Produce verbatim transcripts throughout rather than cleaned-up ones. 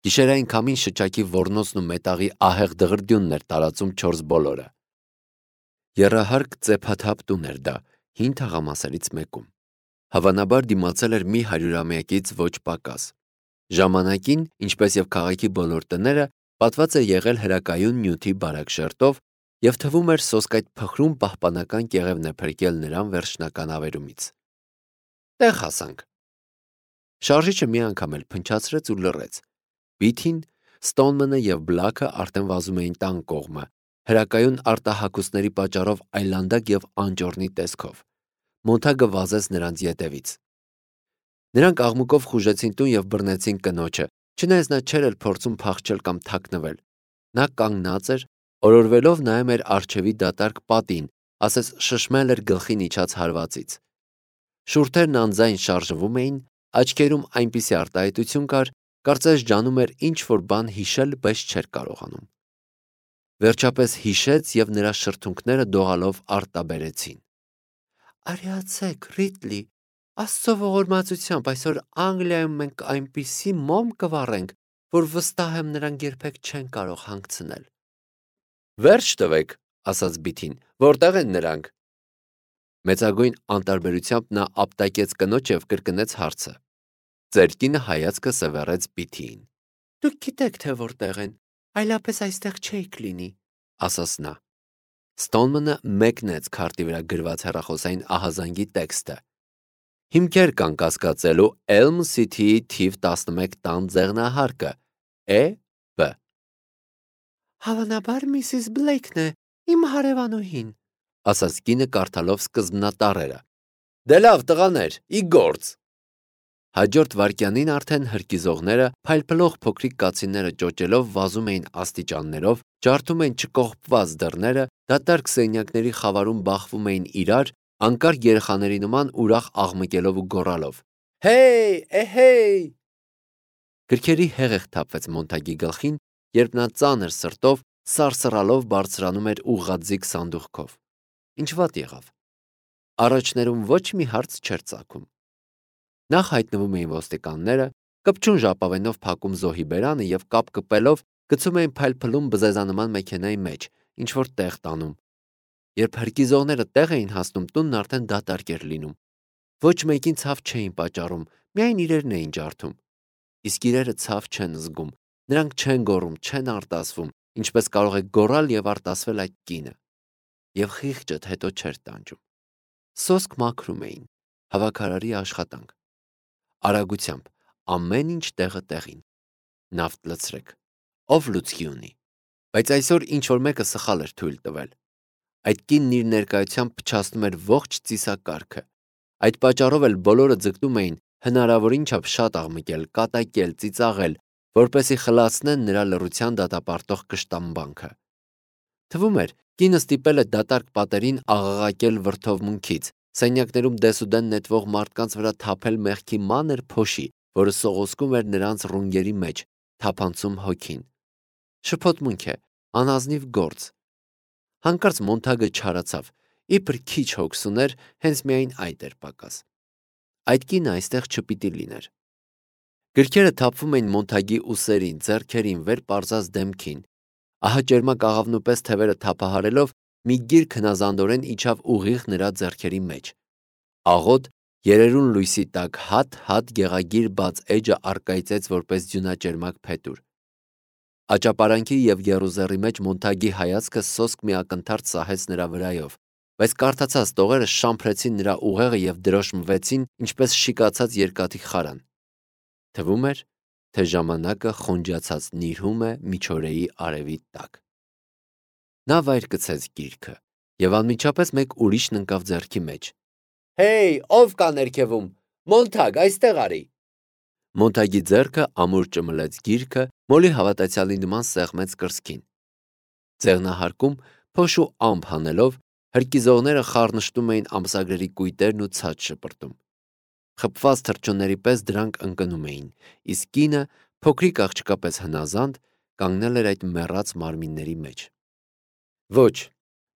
Գիշերային քամին շչակի ոռնոցն ու մետաղի ահեղ դղրդյունն էր տարածում չորս բոլորը։ Եռահարկ ծեփաթափ տուն էր դա, հին թաղամասերից մեկում։ Հավանաբար դիմացել էր մի հարյուրամյակից ոչ պակաս։ Ժամանակին, ինչպես եւ քաղաքի բոլոր տները, պատված էր եղել հրակայուն նյութի բարակ շերտով եւ թվում էր սոսկայթ փխրուն պահպանական կեղևն է փրկել նրան վերջնական ավերումից։ Տեղ հասանք։ Շարժիչը մի անգամ էլ փնչացրեց ու լռեց։ Բիթին, Ստոնմանը եւ Բլաքը արդեն վազում էին տան կողմը, հրակայուն արտահակուսների պատճառով այլանդակ եւ անճոռնի տեսքով։ Մոնթագը վազեց նրանց ետևից։ Նրանք աղմուկով խուժեցին տուն եւ բռնեցին կնոջը, չնայած նա չէր էլ փորձում փախչել կամ թաքնվել։ Նա կանգնած էր, օրորվելով նայում էր արջևի դատարկ պատին, ասես շշմել էր գլխին իջած հարվածից։ Շուրթերն անձայն շարժվում էին, աչքերում այնպիսի արտահայտություն կար, կարծես ջանում էր ինչ-որ բան հիշել, բայց չէր կարողանում։ Վերջապես հիշեց եւ նրա շրթունքները դողալով արտաբերեցին։ Արիացեք, Ռիտլի, Աստծո ողորմածությամբ այսօր Անգլիայում մենք այնպիսի մոմ կվառենք, որ վստահ եմ նրանք երբեք չեն կարող հանգցնել։ Վերջ տվեք, ասաց Բիթին, որտեղ են նրանք։ Մեծագույն անտարբերությամբ նա ապտակեց կնոջ եւ կրկնեց հարցը։ Ձեր կինը հայացքը սևեռեց Բիթիին։ Դուք գիտեք, թե որտեղ են, այլապես այստեղ չէիք լինի, ասաց նա։ Ստոնմանը մեկնեց քարտի վրա գրված հեռախոսային ահազանգի տեքստը։ Հիմքեր կան կասկածելու Elm City-ի թիվ տասնմեկ տան ձեղնահարկը E B Հավանաբար Միսիս Բլեյքն է, իմ հարևանուհին, ասաց կինը կարդալով սկզբնատառերը։ Դե լավ տղաներ, ի գործ։ Հաջորդ վայրկյանին արդեն հրկիզողները, փայլփլող փոքրիկ կացինները ճոճելով վազում էին աստիճաններով, ջարդում էին չկողպված դռները, դատարկ սենյակների խավարում բախվում էին իրար, անկարգ երեխաների նման ուրախ աղմկելով ու գոռալով. Հեյ, էհեյ։ Գրքերի հեղեղ թափվեց Մոնթագի գլխին, երբ նա ծանր սրտով, սարսռալով բարձրանում էր ուղղաձիգ սանդուղքով։ Ինչ վատ եղավ։ Առաջներում ոչ մի հարց չէր ծագում։ Նախ հայտնվում էին ոստիկանները, կպչուն ժապավենով փակում զոհի բերանը եւ կապ կպելով գցում էին փայլփլում բզեզանման մեքենայի մեջ, ինչ որ տեղ տանում։ Երբ հրկիզողները տեղ էին հասնում, տունն արդեն դատարկ էր լինում։ Ոչ մեկին ցավ չէին պատճառում, միայն իրերն էին ջարդում։ Իսկ իրերը ցավ չեն զգում, նրանք չեն գոռում, չեն արտասվում, ինչպես կարող է գոռալ եւ արտասվել այդ կինը։ Եվ խիղճդ հետո չէր տանջում։ Սոսկ մաքրում էին, հավաքարարի աշխատանք։ Արագությամբ, ամեն ինչ տեղը տեղին։ Նավթ լցրեք։ Ով լուցկի ունի։ Բայց այսօր ինչ որ մեկը սխալ էր թույլ տվել։ Այդ կինն իր ներկայությամբ փչացնում էր ողջ ծիսակարգը։ Այդ պատճառով էլ բոլորը ձգտում էին հնարավորին չափ շատ աղմկել, կատակել, ծիծաղել, որպեսզի խլացնեն նրա լռության դատապարտող կշտամբանքը։ Թվում էր, կինը ստիպել է դատարկ պատերին աղաղակել վրդովմունքից, սենյակներում դեսուդեն նետվող մարդկանց վրա թափել մեղքի մանր փոշի, որը սողոսկում էր նրանց ռունգերի մեջ, թափանցում հոգին։ Շփոթմունք է, անազնիվ գործ։ Հանկարծ Մոնթագը չարացավ, իբր քիչ հոգս ուներ, հենց միայն այդ էր պակաս։ Այդ կինը այստեղ չպիտի լիներ։ Գրքերը թափվում էին Մոնթագի ուսերին, ձեռքերին, վեր պարզած դեմքին։ Ահաճերմակ աղավնու պես թևերը թափահարելով մի գիրք հնազանդորեն իջավ ուղիղ նրա ձեռքերի մեջ։ Աղոտ, երերուն լույսի տակ հատ-հատ գեղագիր բաց էջը առկայծեց որպես ձյունաճերմակ փետուր։ Աճապարանքի եւ Եռուզեռի մեջ Մոնթագի հայացքը սոսկ մի ակնթարթ սահեց նրա վրայով, բայց կարդացած տողերը շամփրեցին նրա ուղեղը եւ դրոշմվեցին, ինչպես շիկացած երկաթի խարան։ Թվում էր, թե ժամանակը խոնջացած նիրհում է միջօրեի արևի տակ։ Նա վայր գցեց գիրքը եւ անմիջապես մեկ ուրիշն ընկավ ձեռքի մեջ։ Հեյ, ով կա ներքևում։ Մոնթագ, այստեղ արի։ Մոնթագի ձեռքը ամուր ճմլեց գիրքը, մոլի հավատացյալի նման սեղմեց կրծքին։ Ձեղնահարկում փոշու ամփ հանելով հրկիզողները խառնշտում էին ամսագրերի կույտերն ու ցած շպրտում։ Խփված թռչունների պես դրանք ընկնում էին, իսկ կինը, փոքրիկ աղջկա պես հնազանդ, կանգնել էր այդ մեռած մարմինների մեջ։ Ոչ,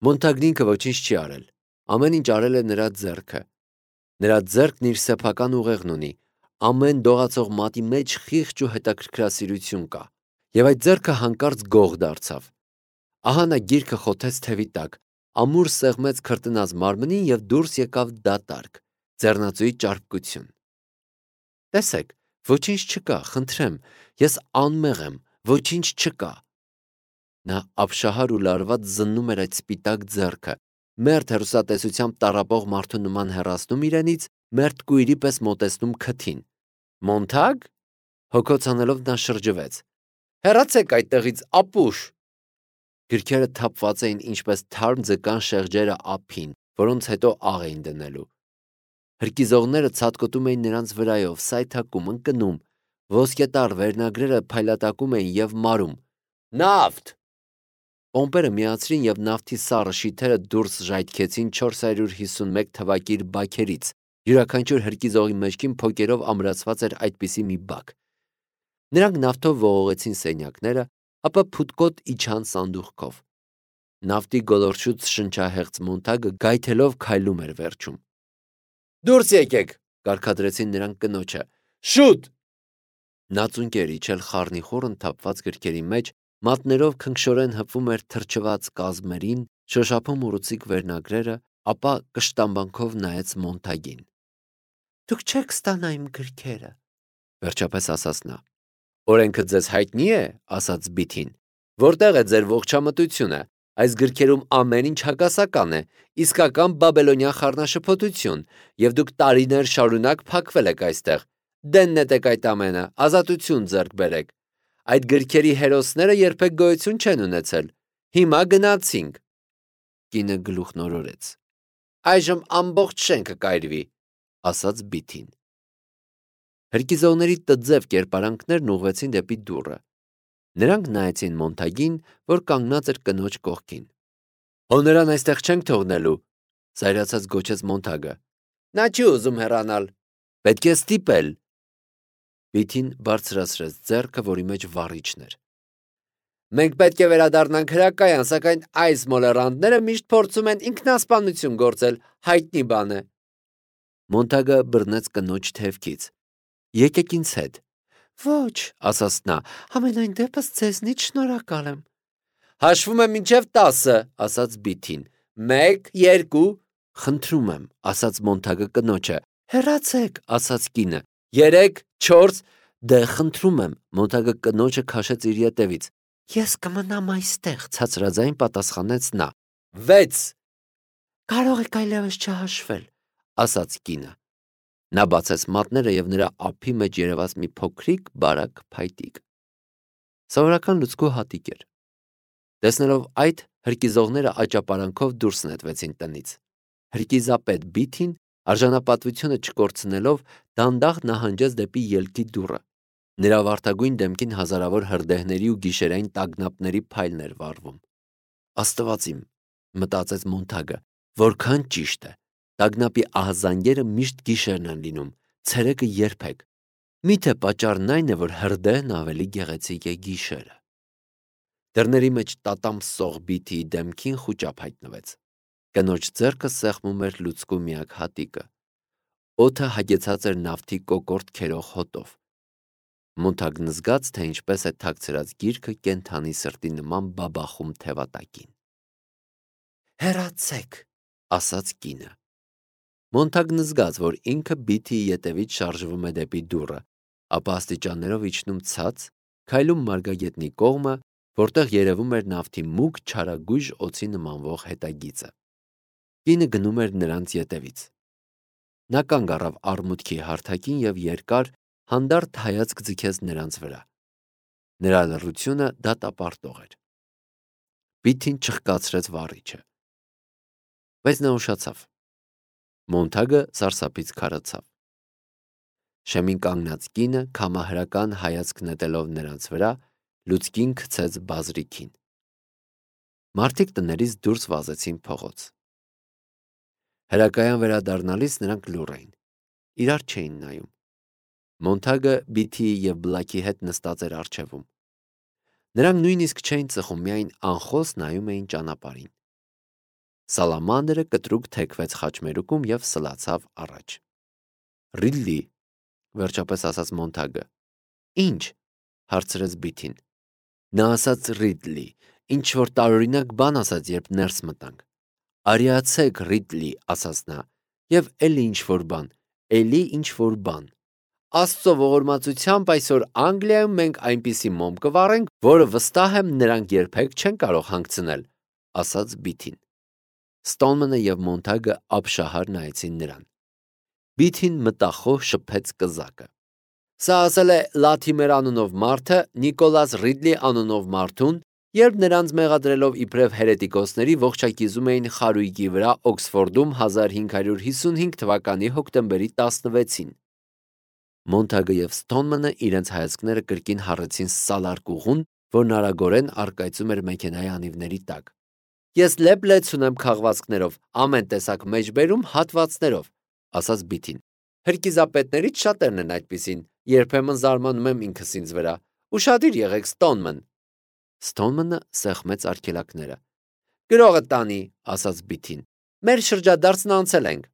Մոնթագն ինքը ոչինչ չի արել։ Ամեն ինչ արել է նրա ձեռքը։ Նրա ձեռքն իր սեփական ուղեղն ունի, ամեն դողացող մատի մեջ խիղճ ու հետաքրքրասիրություն կա, եւ այդ ձեռքը հանկարծ գող դարձավ։ Ահա նա գիրքը խոթեց թևի տակ, ամուր սեղմեց քրտնած մարմնին եւ դուրս եկավ դատարկ, ձեռնածուի ճարպկություն։ Տեսեք, ոչինչ չկա, խնդրեմ, ես անմեղ եմ, ոչինչ չկա։ Նա ապշահար ու լարված զննում էր այդ սպիտակ ձեռքը, մերթ հեռուստատեսությամբ տառապող մարդու նման հեռացնում իրենից, մերթ կույրի պես մոտեցնում քթին։ Մոնթագ? Հոգոց անելով նա շրջվեց։ Հեռացեք այդտեղից, ապուշ։ Գրքերը թափված էին ինչպես թարմ ձկան շեղջերը ափին, որոնց հետո աղ էին դնելու։ Հրկիզողները ցատկոտում էին նրանց վրայով, սայթաքում, ընկնում, ոսկետառ վերնագրերը փայլատակում էին եւ մարում։ Նավթ! Պոմպերը միացրին եւ նավթի սառը շիթերը դուրս ժայթքեցին չորս հարյուր հիսունմեկ թվակիր բաքերից։ Յուրաքանչյուր հրկիզողի մեջքին փոկերով ամրացված էր այդպիսի մի բակ։ Նրանք նավթով ողողեցին սենյակները, ապա փութկոտ իջան սանդուղքով։ Նավթի գոլորշուց շնչահեղձ Մոնթագը գայթելով քայլում էր վերջում։ Դուրս եկեք, կարգադրեցին նրանք կնոջը։ Շուտ! Նա ծունկեր իջել խառնիխուռն թափված գրքերի մեջ, մատներով քնքշորեն հպվում էր թրջված կազմերին, շոշափում ուռուցիկ վերնագրերը, ապա կշտամբանքով նայեց Մոնթագին։ Դուք չեք ստանա իմ գրքերը, վերջապես ասաց նա։ Օրենքը ձեզ հայտնի է, ասաց Բիթին։ Որտեղ է ձեր ողջամտությունը։ Այս գրքերում ամեն ինչ հակասական է, իսկական բաբելոնյան խառնաշփոթություն, եւ դուք տարիներ շարունակ փակվել եք այստեղ։ Դեն նետեք այդ ամենը, ազատություն ձեռք բերեք։ Այդ գրքերի հերոսները երբեք գոյություն չեն ունեցել։ Հիմա գնացինք։ Կինը գլուխնորորեց։ Այժմ ամբողջ շենքը կայրվի, ասաց Բիթին։ Հրկիզողների տձև կերպարանքներն ուղղվեցին դեպի դուռը։ Նրանք նայեցին Մոնթագին, որ կանգնած էր կնոջ կողքին։ Հո նրան այստեղ չենք թողնելու, զայրացած գոչեց Մոնթագը։ Նա չի ուզում հեռանալ։ Պետք է ստիպել։ Բիթին բարձրացրեց ձեռքը, որի մեջ վառիչն էր։ Մենք պետք է վերադառնանք հրակայան, սակայն այս մոլեռանդները միշտ փորձում են ինքնասպանություն գործել, հայտնի բան է։ Մոնթագը բռնեց կնոջ թևքից։ Եկեք ինձ հետ։ Ոչ, ասաց նա, ամենայն դեպս ձեզնից շնորհակալ եմ։ Հաշվում եմ մինչև տասը, ասաց Բիթին։ Մեկ, երկու, խնդրում եմ, ասաց Մոնթագը կնոջը։ Հեռացեք, ասաց կինը։ Երեք, չորս, դե խնդրում եմ, Մոնթագը կնոջը քաշեց իր ետևից։ Ես կմնամ այստեղ, ցածրաձայն պատասխանեց նա։ Վեց։ Կարող եք այլևս չհաշվել, ասաց կինը։ Նա բացեց մատները եւ նրա ափի մեջ երևաց մի փոքրիկ բարակ փայտիկ։ Սովորական լուցկու հատիկ էր։ Տեսնելով այդ, հրկիզողները աճապարանքով դուրս նետվեցին տնից։ Հրկիզապետ Բիթին, արժանապատվությունը չկորցնելով, դանդաղ նահանջեց դեպի ելքի դուռը։ Նրա վարդագույն դեմքին հազարավոր հրդեհների ու գիշերային տագնապների փայլն էր վառվում։ Աստված իմ, մտածեց Մոնթագը, որքան ճիշտ է։ Տագնապի ահազանգերը միշտ գիշերն են լինում, ցերեկը երբեք։ Միթե պատճառն այն է, որ հրդեհն ավելի գեղեցիկ է գիշերը։ Դռների մեջ տատամսող Բիթիի դեմքին խուճապ հայտնվեց։ Կնոջ ձեռքը սեղմում էր լուցկու միակ հատիկը։ Օդը հագեցած էր նավթի կոկորտ քերող հոտով։ Մոնթագն զգաց, թե ինչպես է թաքցրած գիրքը կենդանի սրտի նման բաբախում թևատակին։ Հեռացեք, ասաց կինը։ Մոնթագն զգաց, որ ինքը Բիթիի ետևից շարժվում է դեպի դուռը, ապա աստիճաններով իջնում ցած, քայլում մարգագետնի կողմը, որտեղ երևում էր նավթի մուգ չարագույժ օձի նմանվող հետագիծը։ Կինը գնում էր նրանց ետևից։ Նա կանգ առավ արմուտքի հարթակին եւ երկար, հանդարտ հայացք ձգեց նրանց վրա։ Նրա լռությունը դատապարտող էր։ Բիթին չխկացրեց վառիչը։ Բայց նա ուշացավ։ Մոնթագը սարսափից քարացավ։ Շեմին կանգնած կինը քամահրական հայացք նետելով նրանց վրա, լուցկին գցեց բազրիքին։ Մարդիկ տներից դուրս վազեցին փողոց։ Հրակայան վերադառնալիս նրանք լուռ էին։ Իրար չէին նայում։ Մոնթագը Բիթիի եւ Բլակի հետ նստած էր առջևում։ Նրանք նույնիսկ չէին ծխում, միայն անխոս նայում էին ճանապարհին։ Սալամանդրը կտրուկ թեքվեց խաչմերուկում եւ սլացավ առաջ։ Ռիլլի, վերջապես ասաց Մոնթագը։ Ինչ, հարցրեց Բիթին։ Նա ասաց Ռիդլի, ինչ որ տարօրինակ բան ասաց, երբ ներս մտանք։ Արիացեք, Ռիդլի, ասաց նա, եւ էլի ինչ որ բան, էլի ինչ որ բան։ Աստծո ողորմածությամբ այսօր Անգլիայում մենք այնպիսի մոմ կվառենք, որը վստահ եմ նրանք երբեք չեն կարող հանգցնել, ասաց Բիթին։ Ստոնմանը եւ Մոնթագը ապշահար նայեցին նրան։ Բիթին մտախոհ շփեց կզակը։ Սա ասել է Լաթիմեր անունով մարդը Նիկոլաս Ռիդլի անունով մարդուն, երբ նրանց մեղադրելով իբրև հերետիկոսների ողջակիզում էին խարույկի վրա Օքսֆորդում հազար հինգ հարյուր հիսունհինգ թվականի հոկտեմբերի տասնվեցին։ Մոնթագը եւ Ստոնմանը իրենց հայացքները կրկին հառեցին սալարկուղուն, որն արագորեն առկայծում էր մեքենայի անիվների տակ։ Ես լեփ-լեցուն ունեմ քաղվածքներով, ամեն տեսակ մեջբերում հատվածներով, ասաց Բիթին։ Հրկիզապետներից շատերն են այդպիսին, երբեմն զարմանում եմ ինքս ինձ վրա։ Ուշադիր եղեք, Ստոնման։ Ստոնմանը սեղմեց արգելակները։ Գրողը տանի, ասաց Բիթին։ Մեր շրջադարձն անցել ենք։